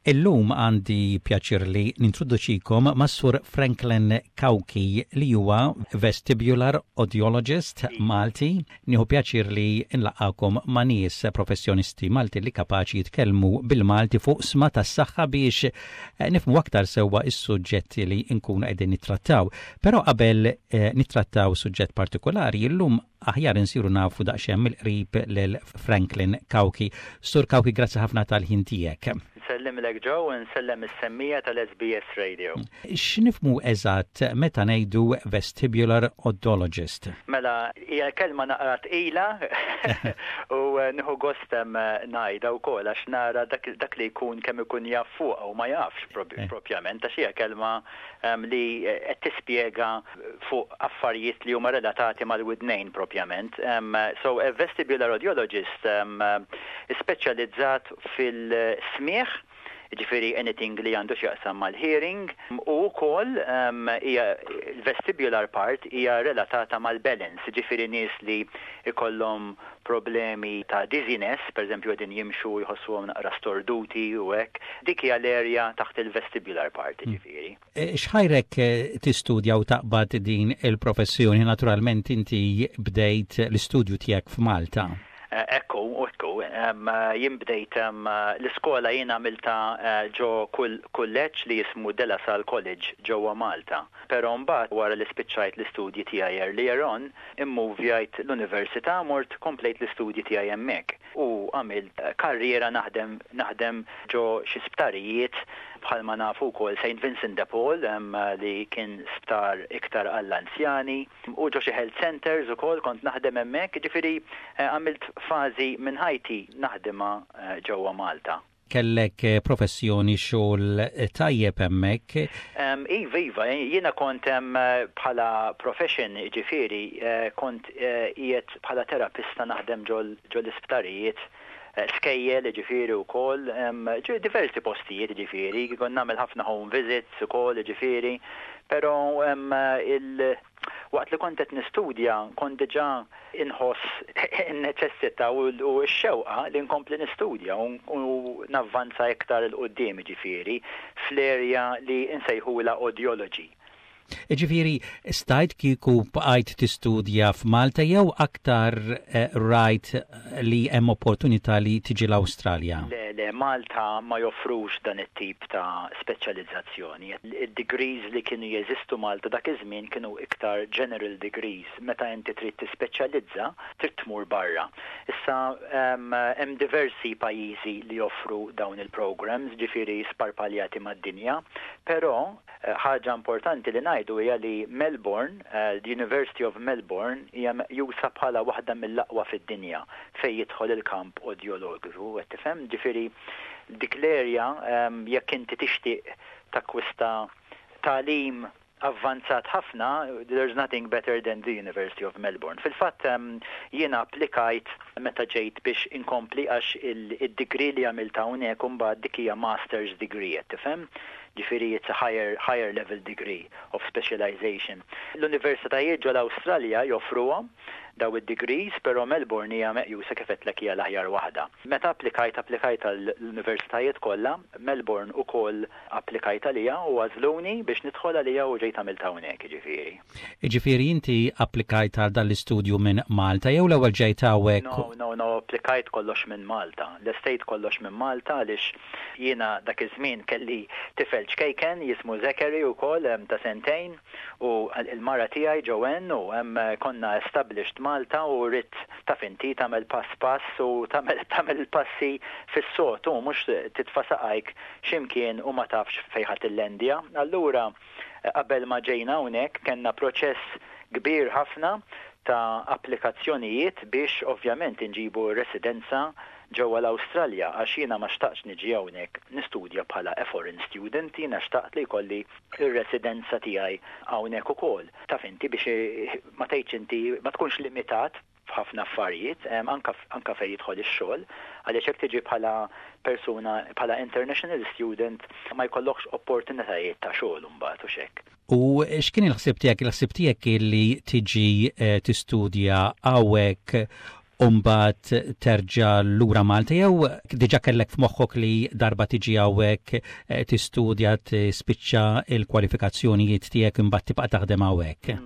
Illum għandi pjaċir li nintroduċikom mas-Sur Franklin Cauchi li huwa vestibular audiologist Malti. Nieħu pjaċir li nlaqqagħkom ma' nies professjonisti Malti li kapaċi jitkellmu bil-Malti fuq sma tas-saħħa biex nifhmu aktar sewwa s-suġġetti li nkunu qegħdin nittrattaw. Però qabel nittrattaw suġġett partikolari, illum aħjar insiru nafu daqsxejn mill-qrib lil Franklin Cauchi. Sur Cauchi, grazzi ħafna tal-ħin tiegħek. Nsellimlek Joe u nsellem is-semmiegħa tal-SBS Radio. X'nifhmu eżatt meta ngħidu vestibular audiologist? Mela, hija kelma naqra tqila u nieħu gost ngħidha wkoll għax nara dak li jkun kemm ikun jaf fuqha u ma jafx propjament għax hija kelma li qed tispjega fuq affarijiet li huma relatati mal-widnejn propjament. So a vestibular audiologist speċjalizzat fil-smigħ, jiġifieri anything li għandu x'jaqsam mal-hearing, u wkoll hija l-vestibular part hija relatata mal-balance, jiġifieri nies li jkollhom problemi ta' dizziness, pereżempju qegħdin jimxu u jħossuhom naqra storduti u hekk, dik hija l-area taħt il-vestibular part jiġifieri. X'ħajrek tistudja u taqbad din il-professjoni? Naturalment inti bdejt l-istudju tiegħek f'Malta. Ekku, ekku. Jien bdejt l-iskola jien għamiltha ġo kulleġġ li jismu De La Salle College ġewwa Malta. Però mbagħad wara li spiċċajt l-istudji tiegħi earlier on, immuvjajt l-università mort komplejt l-istudji tiegħi hemmhekk. U għamilt karriera naħdem naħdem ġo xi sptarijiet bħalma nafu wkoll Saint Vincent de Paul li kien sptar iktar għall-anzjani u ġo xi health centres ukoll kont naħdem hemmhekk, jiġifieri għamilt fażi minn ħajti naħdimha ġewwa Malta. Kellek professjoni xogħol tajjeb hemmhekk. Iva, iva, jiena kont bħala profession, jiġifieri kont qiegħed bħala terapista naħdem ġol-isptarijiet, skejjel jiġifieri wkoll, diversi postijiet jiġifieri, kont nagħmel ħafna home visits ukoll jiġifieri, però il Waqt li kont qed nistudja kont diġà inħoss in-neċessità u x-xewqa li nkompli nistudja u navvanza iktar 'il quddiem, jiġifieri fl-area li nsejħulha audiology. Jiġifieri stajt kieku bqajt tistudja f'Malta jew aktar rajt li hemm opportunità li tiġi l-Awstralja? Le, le, Malta ma joffrux dan it-tip ta' speċjalizzazzjoni. Id-degrees li kienu jeżistu Malta dak iż-żmien kienu iktar general degrees. Meta inti trid tispeċjalizza, trid tmur barra. Issa hemm diversi pajjiżi li joffru dawn il-programs, ġifieri sparpaljati mad-dinja, però Ħaġa importanti li ngħidu hija li Melbourne, the University of Melbourne hija meqjusa bħala waħda mill-aqwa fid-dinja fejn jidħol il-kamp odjologiku, qed tifhem? Ġifieri dik l-area jekk inti tixtieq takkwista tagħlim avvanzat ħafna, there's nothing better than the University of Melbourne. Fil-fatt jiena applikajt meta ġejt biex inkompli għax id-degree li għamilt hawnhekk imbagħad dik hija master's degree, qed tifhem? Ġifieri it's a higher, higher level degree of specialization. L-universitajiet ġol-Awstralja joffruhom daw id-degrees, però Melbourne hija meqjusa kif għedtlek hija l-aħjar waħda. Meta applikajt, applikajt għall-universitajiet kollha, Melbourne ukoll applikajt għaliha u għażluni biex nidħol għaliha u ġejt għamilt hawnhekk, jiġifieri. Jiġifieri inti applikajt għal dan l-istudju minn Malta jew l-ewwel ġejt hawnhekk? No, no, no, applikajt kollox minn Malta. Lestejt kollox minn Malta għaliex jiena dak iż-żmien kelli tifel ċkejken jismu Zachary wkoll ta' sentejn u l-mara tiegħi Joanne u konna established Malta u ridt taf inti tagħmel pass pass u tagħmel tagħmel il-passi fis-sod u mhux titfa' saqajk xi mkien u ma tafx fejn ħa tillendja. Allura Qabel ma ġejna hawnhekk kellna proċess kbir ħafna ta' applikazzjonijiet biex ovvjament inġibu r-residenza ġewwa l-Awstralja għax jiena ma xtaqtx niġi hawnhekk nistudja bħala a foreign student, jiena xtaqt li jkolli r-residenza tiegħi hawnhekk ukoll. Taf inti biex ma tgħidx inti ma tkunx limitat f'ħafna affarijiet, anke anke fejn jidħol ix-xogħol, għaliex jekk tiġi bħala persuna bħala international student ma jkollokx opportunitajiet ta' xogħol imbagħad u x'hekk. U x'kien il-ħsieb tiegħek? Il-ħsieb tiegħek kien li tiġi tistudja hawnhekk. u mbagħad terġa' lura Malta jew diġà kellek f'moħħok li darba tiġi hawnhekk tistudja, tispiċċa l-kwalifikazzjonijiet tiegħek, imbagħad tibqa' taħdem hawnhekk?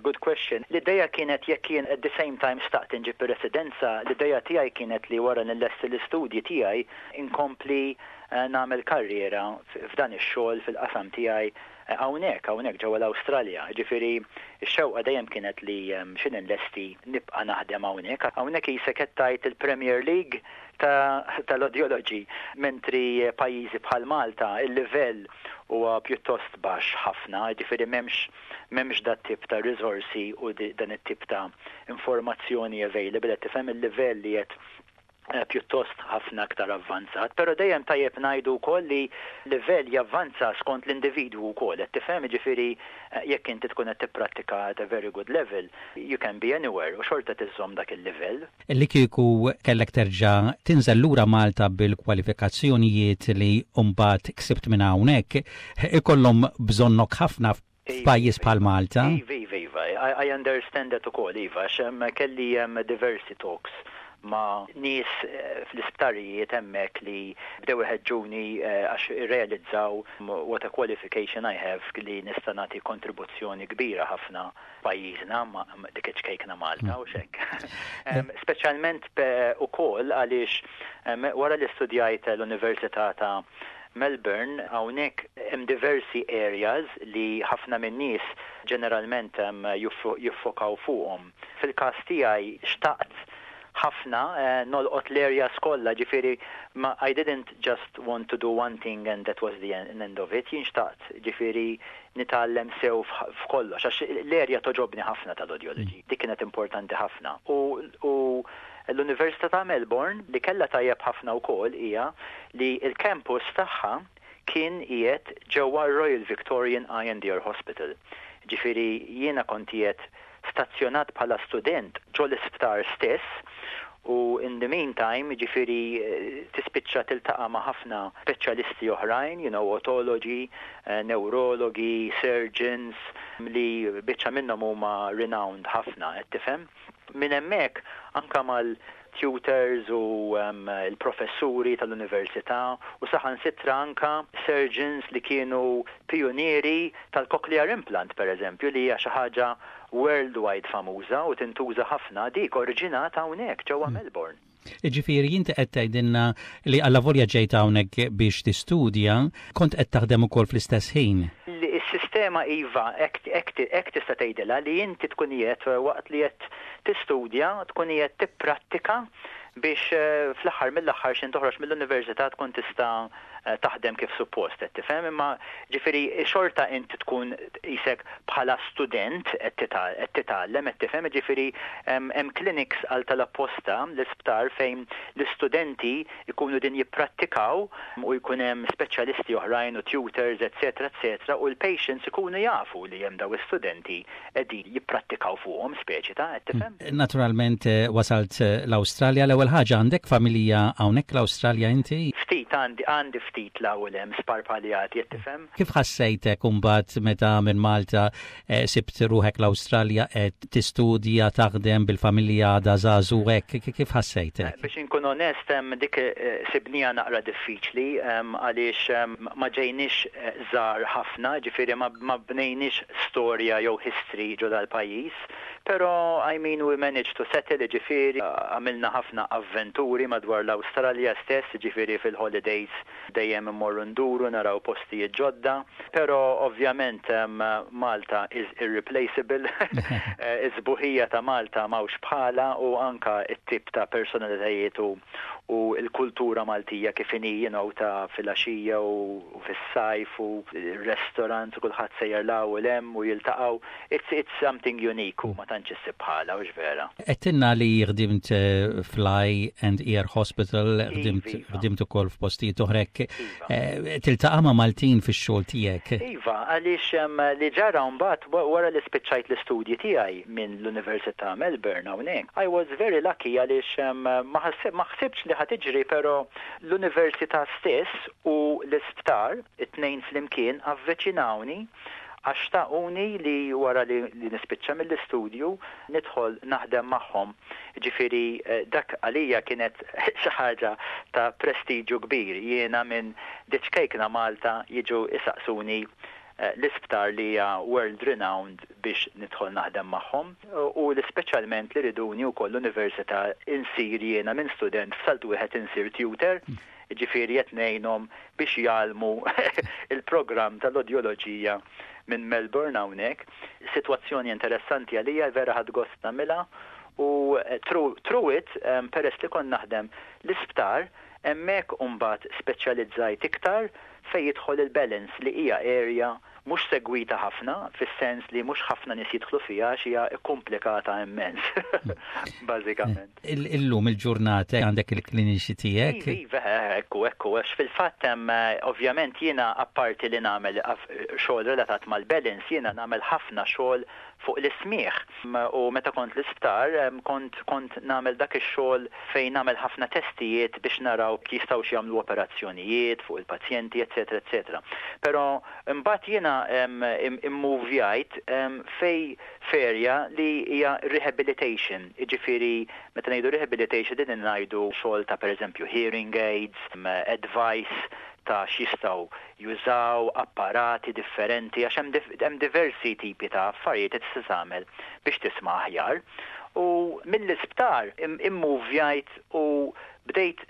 Good question. L-ideja kienet, jekk jien at the same time xtaqt inġib ir-residenza, l-ideja tiegħi kienet li wara nillesti l-istudji tiegħi inkompli nagħmel karriera f'dan ix-xogħol fil-qasam tiegħi hawnhekk ġewwa l-Awstralja. Ġifieri x-xewqa dejjem kienet li xi nillesti nibqa' naħdem hawnhekk. Hawnhekk qisek qed tgħid il-Premier League tal-audiology, mentri pajjiżi bħal Malta il-livell huwa pjuttost baxx ħafna, ġifieri m'hemmx dat tip ta' risorsi u dan it-tip ta' informazzjoni available, qed tifhem, il-livell li qed pjuttost ħafna aktar avvanzat, però dejjem tajjeb ngħidu wkoll li livell javvanza skont l-individwu wkoll, qed tifhem, ġifieri jekk inti tkun qed tipprattika at a very good level, you can be anywhere u xorta tiżżomm dak il-livell. Li kieku kellek terġa' tinżel lura Malta bil-kwalifikazzjonijiet li mbagħad ksibt minn hawnhekk, ikollhom bżonnok ħafna f'pajjiż bħal Malta. Iva, I understand that ukoll, iva, għax kelli diversi talks ma' nies fl-isptarijiet hemmhekk li bdew iħeġġuni għax irrealizzaw what a qualification I have, li nista' nagħti kontribuzzjoni kbira ħafna pajjiżna, ma dik iċ-ċkejkna Malta u xek. Speċjalment ukoll għaliex wara li studjajt l-Università ta' Melbourne, hawnhekk hemm diversi areas li ħafna min-nies ġeneralment jiffokaw fuqhom. Fil-każ tiegħi xtaqt ħafna nolqot l-areas kollha, ġifieri ma I didn't just want to do one thing and that was the end of it. Jien xtaqt ġifieri nitgħallem sew f'kollox, għax l-area togħġobni ħafna tal-audiology. Dik kienet importanti ħafna. U l-Università ta' Melbourne li kellha tajjeb ħafna wkoll hija li l-campus tagħha kien qiegħed ġewwa Royal Victorian Eye and Ear Hospital. Ġifieri jiena kont qiegħed stazzjonat bħala student ġo l-isptar stess u in the meantime ġifieri tispiċċa tiltaqa' ma' ħafna speċjalisti oħrajn, otologi, neurologi, surgeons, li biċċa minnhom huma renowned ħafna, qed tifhem. Minn hemmhekk anka mal-tutors u il-professuri tal-università u saħansitra anka surgeons li kienu pionieri tal-cochlear implant, per eżempju, li hija xi ħaġa worldwide famuża u tintuża ħafna, dik oriġinata hawnhekk ġewwa Melbourne. Ġifieri inti qed tgħidilna li allavolja ġejt hawnhekk biex tistudja, kont qed taħdem ukoll fl-istess ħin. Is-sistema, iva, hekk tista' tgħidilha li inti tkun qiegħed, waqt li qed tistudja, tkun qiegħed tipprattika biex fl-aħħar mill-aħħar x'ħin toħroġ mill-università tkun tista' taħdem kif suppost, qed tifhem, imma ġifieri xorta inti tkun qisek bħala student qed titgħallem, qed tifhem, ġifieri hemm clinics għal tal-apposta l-isptar fejn l-istudenti jkunu din jipprattikaw u jkun hemm speċjalisti oħrajn u tutors, eccetera, eccetera, u l-patients ikunu jafu li hemm daw istudenti qegħdin jipprattikaw fuqhom, speċi ta', qed tifhem. Naturalment wasalt l-Awstralja, l-ewwel ħaġa, għandek familja hawnhekk l-Awstralja inti? Ftit għandi, ftit l-ewwel hemm sparpaljati, qed tifhem. Kif ħassejtek imbagħad meta minn Malta sibt ruħek l-Awstralja qed tistudja, taħdem bil-familja da żagħżugħ hekk, kif ħassejtek? Biex inkun onest, dik sibnija naqra diffiċli għaliex ma ġejniex żgħar ħafna, ġifieri ma bnejniex storja jew history ġo dal-pajjiż. Però, I mean, we managed to settle, ġifieri għamilna ħafna avventuri madwar l-Awstralja stess, ġifieri fil-holidays dejjem immorru nduru naraw postijiet ġodda, però ovvjament Malta is irreplaceable. Is-sbuħija ta' Malta m'hawnx bħala u anka it-tip ta' personalitajiet u l-kultura Maltija kif inhi, ta' filgħaxija u fis-sajf u restaurants u kulħadd sejjer 'l hawn u 'l hemm u jiltaqgħu. It's something unique u ma tantx issib bħala, hux vera? Għedtilna li ħdimt fl-Eye and Ear Hospital, ħdimt ukoll f'postijiet oħra hekk. Tiltaqa' ma' Maltin fix-xogħol tiegħek? Iva, għaliex li ġara mbagħad wara li spiċċajt l-istudji tiegħi minn l-Università Melbourne hawnhekk, I was very lucky għaliex ma ħsibx li ħa tiġri, però l-università stess u l-isptar, it-tnejn flimkien, avviċinawni. Għax xtaquni li wara li nispiċċa mill-istudju nidħol naħdem magħhom. Ġifieri dak għalija kienet xi ħaġa ta' prestiġju kbir. Jiena minn diċ-ċkejkna Malta jiġu isaqsuni l-isptar li hija world renowned biex nidħol naħdem magħhom u li speċjalment li riduni wkoll l-università insir jiena minn student f'salt wieħed insir tutor. Ġifieri qed ngħinhom biex jgħallmu il-programm tal-odjoloġija minn Melbourne hawnhekk. Sitwazzjoni interessanti għalija, vera ħadt gost nagħmilha u through it, peress li kont naħdem l-isptar, hemmhekk imbagħad speċjalizzajt iktar fejn jidħol il-balance, li hija area mhux segwita ħafna, fis-sens li mhux ħafna nies jidħlu fiha għax hija komplikata immens, bażikament. Illum il-ġurnata għandek il-kliniċi tiegħek? Iva, ekku, għax fil-fatt hemm ovvjament jiena, apparti li nagħmel xogħol relatat mal-balance, jiena nagħmel ħafna xogħol fuq l-ismieħ. U meta kont l-isptar, kont nagħmel dak ix-xogħol fejn nagħmel ħafna testijiet biex naraw kif jistgħu jagħmlu operazzjonijiet fuq il-pazjenti, eċetera, eċetera. Però mbagħad jiena immuvjajt fej f'area li hija rehabilitation, jiġifieri meta ngħidu rehabilitation din ngħidu xogħol ta', pereżempju, hearing aids, advice ta' x'jistgħu jużaw, apparati differenti, għax hemm diversi tipi ta' affarijiet li tista' tagħmel biex tisma' aħjar. U mill-isptar immuvjajt u bdejt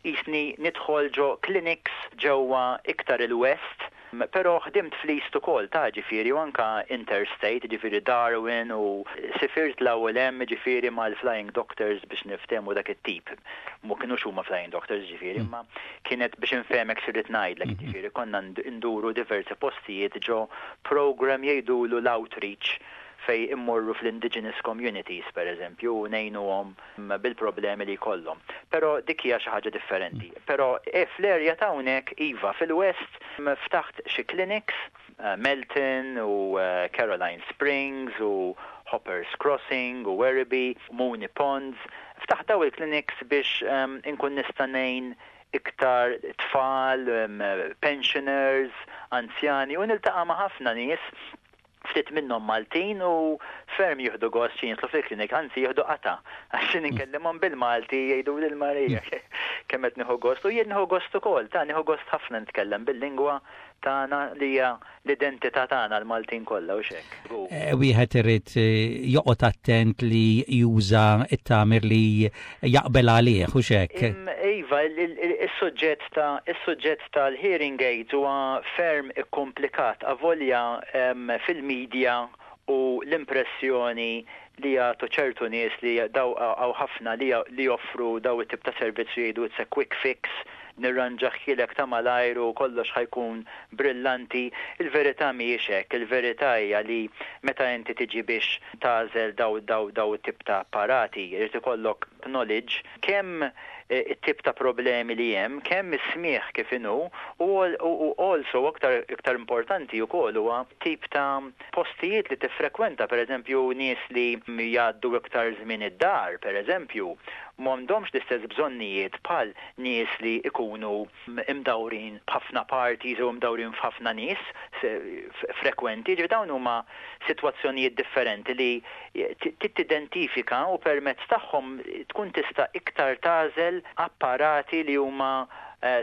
jisni nidħol ġo clinics ġewwa iktar il-West, però ħdimt fl-East ukoll ta', ġifieri, u anka interstate, ġifieri Darwin, u sifirt l-ewwel hemm, ġifieri, mal-Flying Doctors biex niftehmu dak it-tip. Mu kienux huma Flying Doctors, ġifieri, imma kienet biex infehmek x'irrid ngħidlek, ġifieri konna nduru diversi postijiet ġo program jgħidulu l-outreach, fej immorru fl-indigenous communities, per eżempju, u ngħinuhom bil-problemi li jkollhom. Però dik hija xi ħaġa differenti. Però fl-area ta' hawnhekk, iva, fil-West ftaħt xi clinics, Melton u Caroline Springs u Hoppers Crossing u Werribee, Moonee Ponds. Ftaħt daw il-clinics biex inkun nista' ngħin iktar tfal, pensioners, anzjani, u niltaqa' ma' ħafna nies, ftit minnhom Maltin, u ferm jieħdu gost xi jidħlu fil-klinik, anzi jieħdu qata. Għax inkellimhom bil-Malti jgħidu lil Marija kemm qed nieħu gost, u jien nieħu gost ukoll, ta' nieħu gost ħafna nitkellem bil-lingwa tagħna li hija l-identità tagħna l-Maltin kollha u xek. Wieħed irid joqgħod attent li juża it-tagħmir li jaqbel għalih u xek. Iva, is-suġġett tal-hearing aids huwa ferm ikkomplikat, avolja fil-medja u l-impressjoni li jagħtu ċertu nies li daw hawn ħafna li joffru daw it-tip ta' servizzi jgħidu "It's a quick fix, nirranġahielek ta' malajr u kollox ħa jkun brillanti." Il-verità mhijiex hekk, il-verità hija li meta inti tiġi biex tagħżel daw it-tip ta' apparati, irid ikollok knowledge kemm it-tip ta' problemi li hemm, kemm is-smieħ kif inhu, u also aktar iktar importanti wkoll huwa tip ta' postijiet li tiffrekwenta, pereżempju nies li jgħaddu iktar żmien id-dar, pereżempju, m'għandhomx l-istess bżonnijiet bħal nies li ikunu imdawrin b'ħafna parties u imdawrin f'ħafna nies frekwenti. Ġifieri dawn huma sitwazzjonijiet differenti li tidentifika u permezz tagħhom tkun tista' iktar tagħżel apparati li huma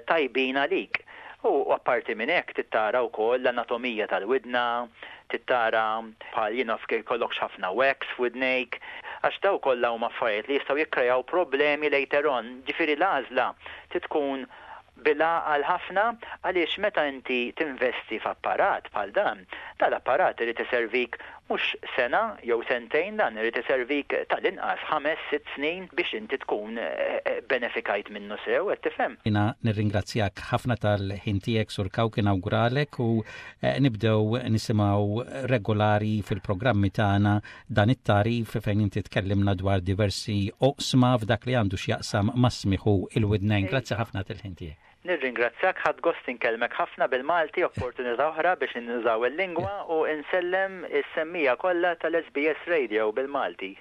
tajbin għalik. U apparti minn hekk tittara wkoll l-anatomija tal-widna, tittara bħal jien naf jkollokx ħafna wax f'widnejk, għax daw kollha huma affarijiet li jistgħu jikkrejaw problemi later on. Ġifieri l-għażla tkun bil-għaqal ħafna, għaliex meta inti tinvesti f'apparat bħal dan, dal-apparat irid iservik mhux sena jew sentejn, dan irid iservik tal-inqas 5-6 snin biex inti tkun benefikajt minnu sew, qed tifhem? Jiena nirringrazzjak ħafna tal-ħin tiegħek, Sur Cauchi, nawguralek u nibdew nisimgħu regolari fil-programmi tagħna dan it-tagħrif fejn inti tkellimna dwar diversi oqsma f'dak li għandu x'jaqsam mas-smigħ u il-widnejn. Grazzi ħafna tal-ħin tiegħek. Nirringrazzjak, ħadt gost inkellmek ħafna bil-Malti, opportunità oħra biex nużaw il-lingwa, u insellem is-semmiegħa kollha tal-SBS Radio bil-Malti.